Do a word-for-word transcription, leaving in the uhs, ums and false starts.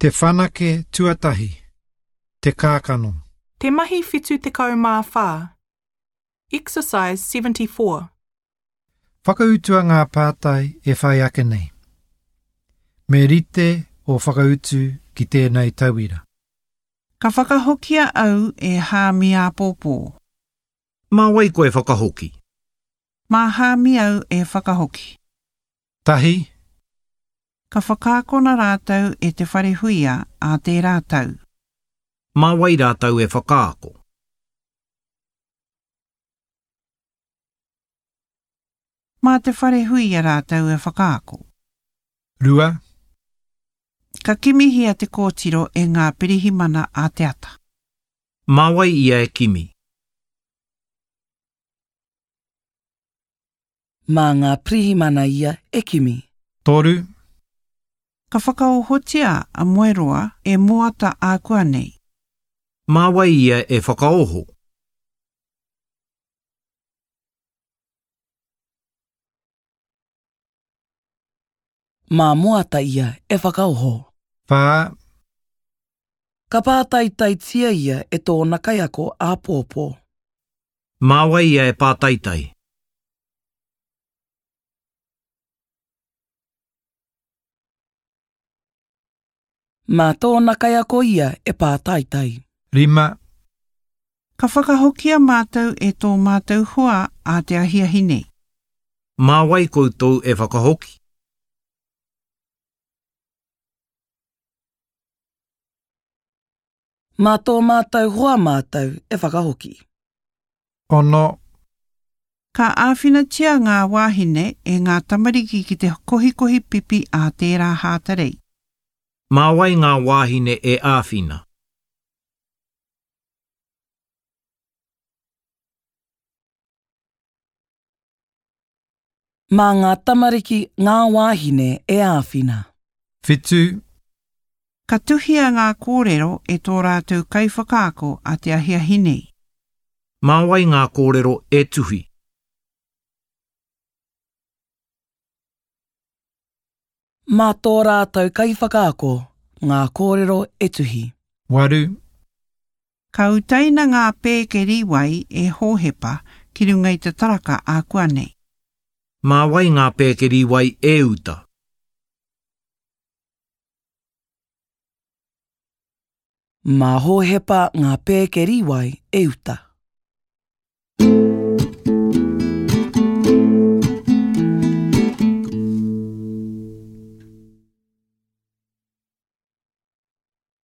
Te whanake tuatahi. Te kākano. Te mahi whitu tekau mā whā. Exercise seventy-four. Whakautua ngā pātai e whai ake nei. Me rite o whakautu ki tēnei tauira. Ka whakahokia au e Hāmi āpōpō. Mā wai koe whakahoki? Mā Hāmi au e whakahoki. Tahi. Ka whakaakona rātou e te wharehuia a tērā tau. Mā wai rātou e whakaako? Mā te wharehuia rātou e whakaako. Rua. Ka kimihia te kōtiro e ngā pirihimana a te ata. Mā wai ia e kimi? Mā ngā pirihimana ia e kimi. Toru. Ka whakaohotia a Moeroa e Moata ākuanei. Mā wai ia e whakaoho? Mā Moata ia e whakaoho. Whā. Ka pātaitaitia ia e tōna kaiako āpōpō. Mā wai ia e pātaitai? Mā tōna kaiako ia e pātaitai. Rima. Ka whakahokia mātou e tō mātou hoa a te ahiahi nei. Mā wai koutou e whakahoki? Mā tō mātou hoa mātou e whakahoki. Ono. Ka āwhinatia ngā wāhine e ngā tamariki ki te kohikohi pipi a tērā Hātarei. Mā wai ngā wāhine e āwhina? Mā ngā tamariki ngā wāhine e āwhina. Whitu. Ka tuhia ngā kōrero e tō rātou kaiwhakaako a te ahiahi nei. Mā wai ngā kōrero e tuhi? Mā tō rātou kaiwhakaako ngā kōrero e tuhi. Waru. Ka utaina ngā pēke rīwai e Hōhepa ki runga i te taraka ākuanei. Mā wai ngā pēke rīwai e uta? Mā Hōhepa ngā pēke rīwai e uta.